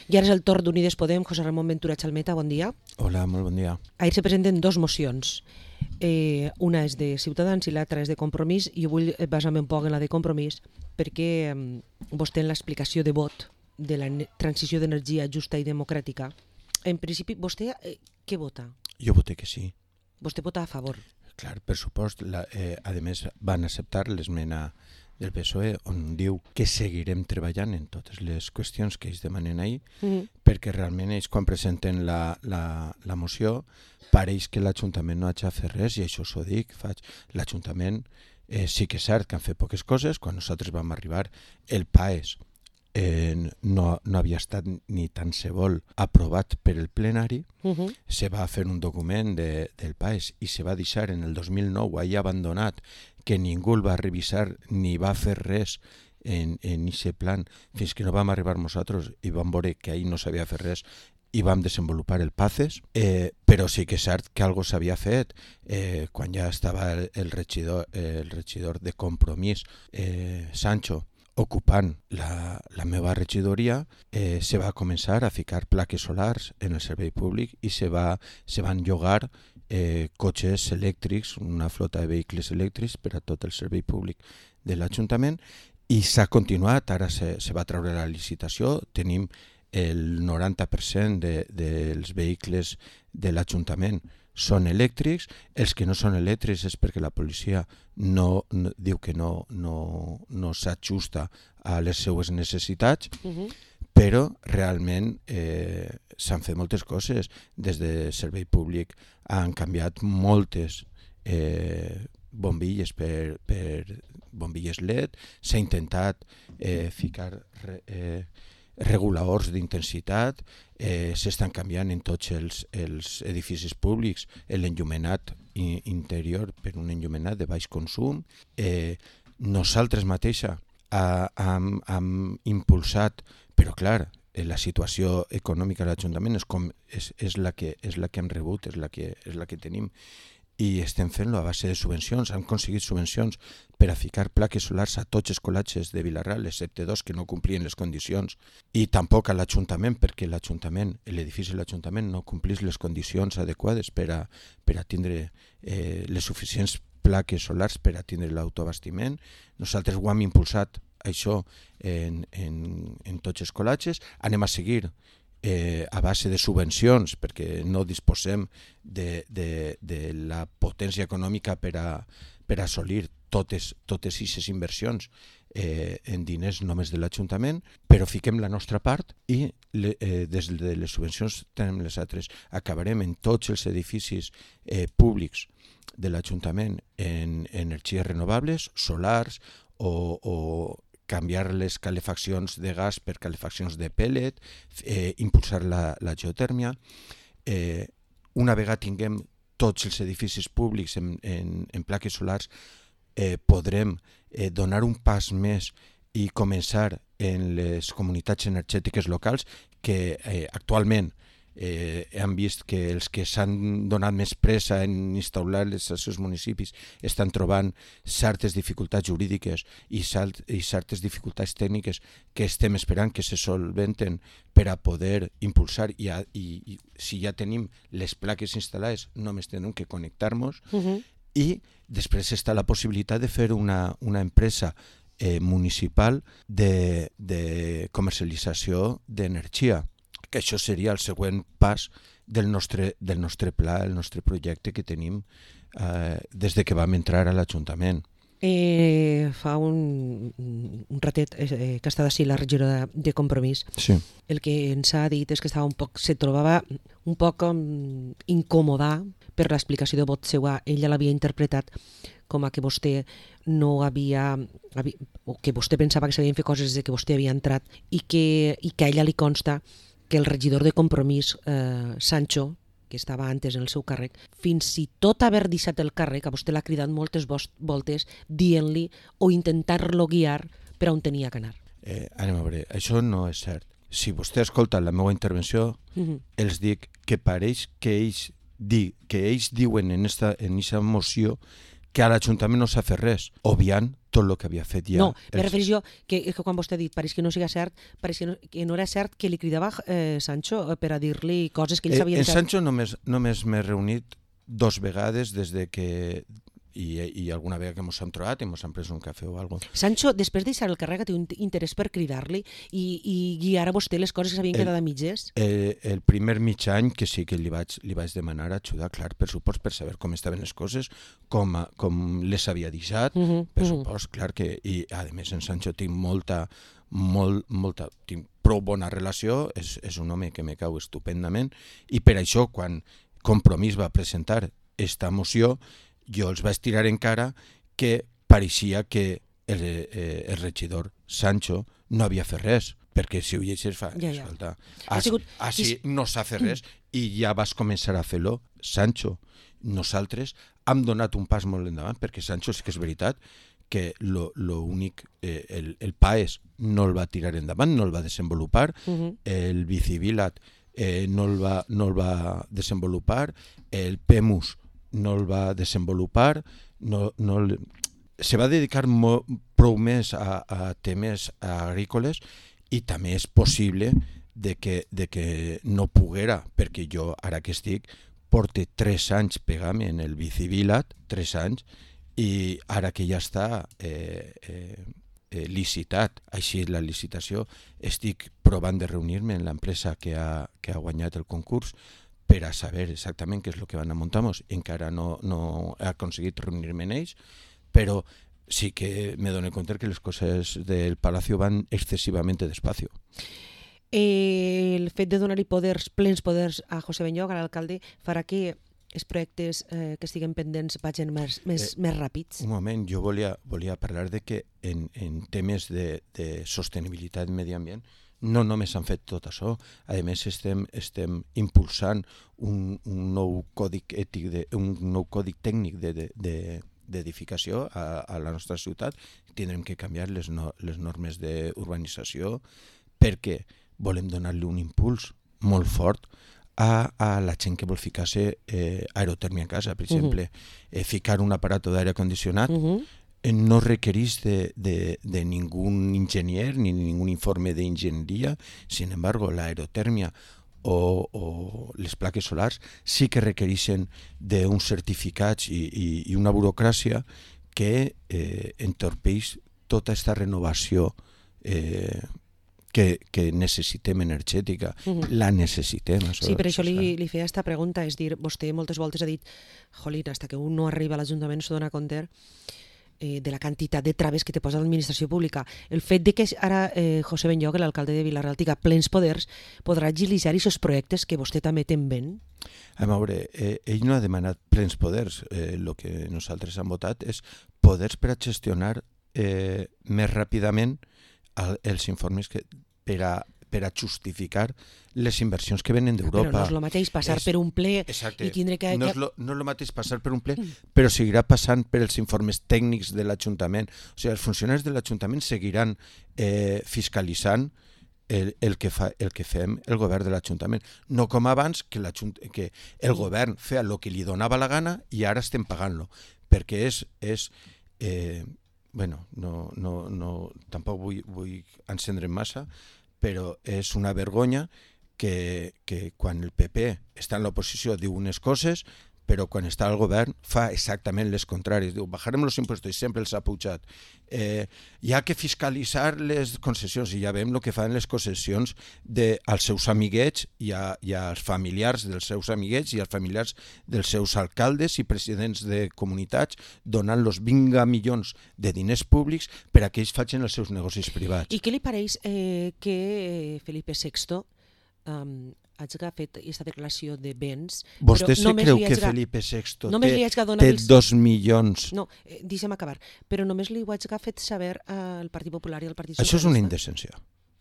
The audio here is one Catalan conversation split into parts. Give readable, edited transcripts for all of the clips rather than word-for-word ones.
I ara és el torn d'Unides Podem. José Ramon Ventura Chalmeta, bon dia. Hola, molt bon dia. Ahir se presenten dos mocions. Una és de Ciutadans i l'altra és de Compromís. Jo vull basar-me un poc en la de Compromís perquè vostè en l'explicació de vot de la transició d'energia justa i democràtica, en principi, vostè què vota? Jo voté que sí. Vostè vota a favor? Clar, per supost. A més, van acceptar l'esmena del PSOE on diu que seguirem treballant en totes les qüestions que ells demanen ahir, perquè realment ells quan presenten la moció pareix que l'Ajuntament no ha de fer res, i això s'ho dic, l'Ajuntament sí que és cert que han fet poques coses. Quan nosaltres vam arribar, el PAES no havia estat ni tan se vol aprovat per el plenari. Se va fer un document del PAES i se va deixar en el 2009 ahir abandonat, que ningú el va revisar ni va fer res en aquest plan, fins que no vam arribar nosaltres i vam veure que ahir no s'havia fet res i vam desenvolupar el PACES, però sí que és cert que algo s'havia fet. Quan ja estava el regidor de Compromís, Sancho, ocupant la meva regidoria, se va començar a ficar plaques solars en el servei públic i se van llogar cotxes elèctrics, una flota de vehicles elèctrics per a tot el servei públic de l'Ajuntament, i s'ha continuat. Ara se va treure la licitació, tenim el 90% dels vehicles de l'Ajuntament són elèctrics. Els que no són elèctrics és perquè la policia diu que no s'ajusta a les seues necessitats, però realment s'han fet moltes coses. Des de servei públic han canviat moltes bombilles per bombilles LED, s'ha intentat ficar reguladors d'intensitat, s'estan canviant en tots els edificis públics l'enllumenat interior per un enllumenat de baix consum. Nosaltres mateixa hem impulsat, però clar, la situació econòmica de l'Ajuntament és la que hem rebut, és la que tenim, i estem fent-lo a base de subvencions. Hem aconseguit subvencions per a ficar plaques solars a tots els col·legis de Vila-real, excepte dos que no complien les condicions, i tampoc a l'Ajuntament, perquè l'edifici de l'Ajuntament no complís les condicions adequades per a tindre les suficients plaques solars per a tindre l'autoabastiment. Nosaltres ho hem impulsat, això, en tots els col·legis. Anem a seguir a base de subvencions, perquè no disposem de la potència econòmica per a assolir totes aquestes inversions en diners només de l'Ajuntament, però fiquem la nostra part i des de les subvencions tenim les altres. Acabarem en tots els edificis públics de l'Ajuntament en energies renovables, solars, o canviar les calefaccions de gas per calefaccions de pellet, impulsar la geotèrmia. Una vegada tinguem tots els edificis públics en plaques solars, podrem donar un pas més i començar en les comunitats energètiques locals, que actualment hem vist que els que s'han donat més pressa en instal·lar-les als seus municipis estan trobant certes dificultats jurídiques i certes dificultats tècniques que estem esperant que se solventen per a poder impulsar, i si ja tenim les plaques instal·lades només tenim que connectar-nos. I després està la possibilitat de fer una empresa municipal de comercialització d'energia, que això seria el següent pas del nostre pla, el nostre projecte que tenim des de que vam entrar a l'Ajuntament. Fa un ratet que ha estat així la regidora de Compromís. Sí. El que ens ha dit és que se trobava un poc incòmoda per l'explicació de vot seva. Ella l'havia interpretat com a que vostè no havia, o que vostè pensava que s'havien fet coses des que vostè havia entrat, i que a ella li consta que el regidor de Compromís, Sancho, que estava antes en el seu càrrec, fins i tot haver deixat el càrrec, a vostè l'ha cridat moltes voltes dient-li o intentar-lo guiar per on tenia que anar. Anem a veure, això no és cert. Si vostè escolta la meva intervenció, els dic que pareix que ells diuen en aquesta moció que a l'Ajuntament no s'ha fet res, obviant tot el que havia fet ja. No, me refereix jo que quan vostè ha dit pareix que no siga cert, pareix que no era cert que li cridava Sancho per a dir-li coses que ell sabia. En Sancho només m'he reunit 2 vegades des de que i alguna vegada que ens hem trobat i ens hem pres un cafè o alguna cosa. Sancho, després de deixar el càrrec, té un interès per cridar-li i guiar a vostè les coses que s'havien quedat a mitges? El primer mig any que sí que li vaig demanar ajuda, clar, per supost, per saber com estaven les coses, com les havia deixat, per supost, clar que... I a més en Sancho tinc tinc prou bona relació, és un home que me cau estupendament, i per això quan Compromís va presentar esta moció jo els vaig tirar en cara que pareixia que el regidor Sancho no havia fet res, perquè si ho llegeixes fa... Escolta, així no s'ha fet res i ja vas començar a fer-lo, Sancho. Nosaltres hem donat un pas molt endavant, perquè Sancho sí que és veritat que l'únic, el PAES no el va tirar endavant, no el va desenvolupar, el Bicivilat no el va desenvolupar, el PEMUS no el va desenvolupar, se va dedicar prou més a temes agrícoles i també és possible de que no poguera, perquè jo ara que estic porte 3 anys pegant-me en el Bicivilat, 3 anys, i ara que ja està licitat, així és la licitació, estic provant de reunir-me en l'empresa que ha guanyat el concurs per a saber exactament què és el que van a muntar-nos. Encara no he aconseguit reunir-me en ells, però sí que me dono compte que les coses del Palacio van excessivament despacio. El fet de donar-li plens poders a José Benlloch, a l'alcalde, farà que els projectes que estiguen pendents vagin més ràpids? Un moment, jo volia parlar de que en temes de sostenibilitat i medi ambient no només han fet tot això, a més estem impulsant un nou còdic ètic, un nou còdic tècnic d'edificació a la nostra ciutat. Tindrem que canviar les normes d'urbanització perquè volem donar-li un impuls molt fort a la gent que vol ficar-se aerotèrmia a casa, per exemple. Ficar un aparato d'aire condicionat no requereix de ningú enginyer ni ningú informe d'enginyeria. Sin embargo, la aerotèrmia o les plaques solars sí que requereixen d'uns certificats i una burocràcia que entorpeix tota aquesta renovació que necessitem energètica. La necessitem. Sí, per això li feia aquesta pregunta, és dir, vostè moltes voltes ha dit, jolín, hasta que un no arriba a l'Ajuntament s'ho dona compte de la quantitat de traves que te posa l'administració pública. El fet de que ara José Benlloch, l'alcalde de Vila-real, tinga plens poders, podrà agilitzar aquests projectes que vostè també té en vent? A veure, ell no ha demanat plens poders. El que nosaltres hem votat és poders per a gestionar més ràpidament els informes per a justificar les inversions que venen d'Europa. Però no és el mateix passar per un ple i tindre que... No és el mateix passar per un ple, però seguirà passant per els informes tècnics de l'Ajuntament. O sigui, els funcionaris de l'Ajuntament seguiran fiscalitzant el que fem el govern de l'Ajuntament. No com abans, que el govern feia el que li donava la gana i ara estem pagant-lo. Perquè és bueno, tampoc vull encendre massa, però és una vergonya que quan el PP està en l'oposició diu unes coses, però quan està al govern fa exactament les contràries. Diu, bajarem els impostos i sempre els ha pujat. Hi ha que fiscalitzar les concessions i ja veiem el que fan les concessions als seus amiguets i als familiars dels seus amiguets i als familiars dels seus alcaldes i presidents de comunitats donant-los 20 milions de diners públics per a que ells facin els seus negocis privats. I què li pareix que Felipe VI hagi fet aquesta declaració de béns... Vostè se creu que Felipe VI té 2 milions... No, deixa'm acabar. Però només li ho hagi fet saber al Partit Popular i al Partit Socialista. Això és una indecència.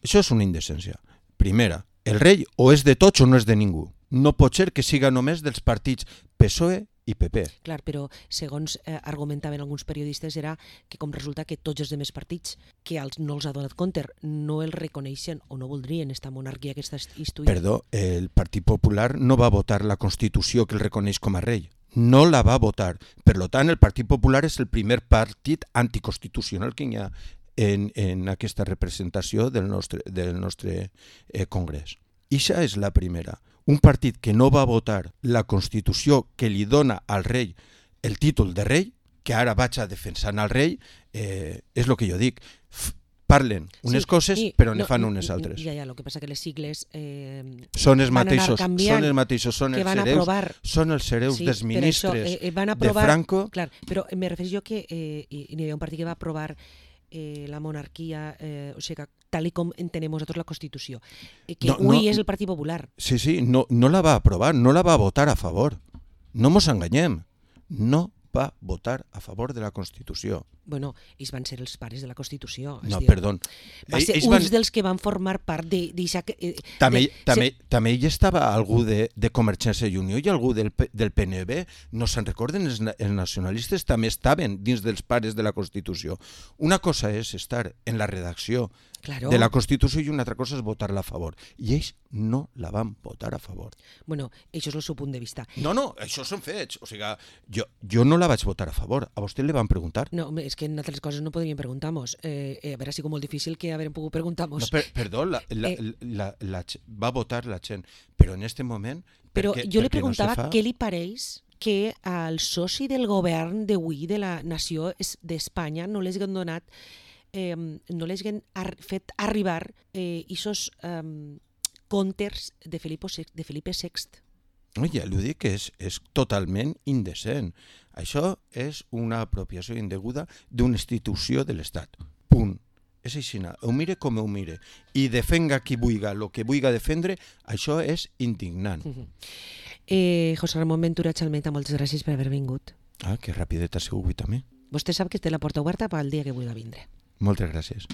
Això és una indecència. Primera, el rei o és de tots o no és de ningú. No pot ser que siga només dels partits PSOE i PP. Clar, però segons argumentaven alguns periodistes era que com resulta que tots els demés partits que no els ha donat compte no el reconeixen o no voldrien esta monarquia que està instituïda. Perdó, el Partit Popular no va votar la Constitució que el reconeix com a rei. no la va votar. Per tant, el Partit Popular és el primer partit anticonstitucional que hi ha en aquesta representació del nostre Congrés. Ixa és la primera. Un partit que no va votar la Constitució que li dona al rei el títol de rei, que ara vaig a defensar al rei, és el que jo dic. Parlen unes coses, però ne fan unes altres. Ja, el que passa que les sigles són els mateixos, són els hereus sí, dels ministres de Franco. Clar, però me refereixo jo que hi havia un partit que va aprovar la monarquia, o sigui, tal com entenem nosaltres la Constitució, que avui és el Partit Popular. Sí, no la va aprovar, no la va votar a favor. No mos enganyem. No va votar a favor de la Constitució. Bueno, ells van ser els pares de la Constitució. No, perdó. Va ser uns dels que van formar part d'eixa... També hi estava algú de Convergència i Unió i algú del PNB. No se'n recorden? Els nacionalistes també estaven dins dels pares de la Constitució. Una cosa és estar en la redacció de la Constitució i una altra cosa és votar-la a favor. I ells no la van votar a favor. Bueno, això és el seu punt de vista. No, això són fets. O sigui, jo no la vaig votar a favor. A vostè li van preguntar? No, és que en altres coses no podríem preguntar-nos. A veure, ha sigut molt difícil que haguem pogut preguntar-nos. No, perdó, va votar la gent, però en aquest moment... Però jo li preguntava què li pareix que al soci del govern d'avui de la nació d'Espanya no les haguem donat, no les haguem fet arribar aquests contes de Felipe VI. Ja li dic que és totalment indecent. Això és una apropiació indeguda d'una institució de l'Estat. Punt. És així. Ho mire com ho mire. I defenga qui vulgui el que vulgui defendre, això és indignant. José Ramon Ventura Chalmeta, moltes gràcies per haver vingut. Que rapidet ha sigut també. Vostè sap que té la porta oberta pel dia que vulgui vindre. Moltes gràcies.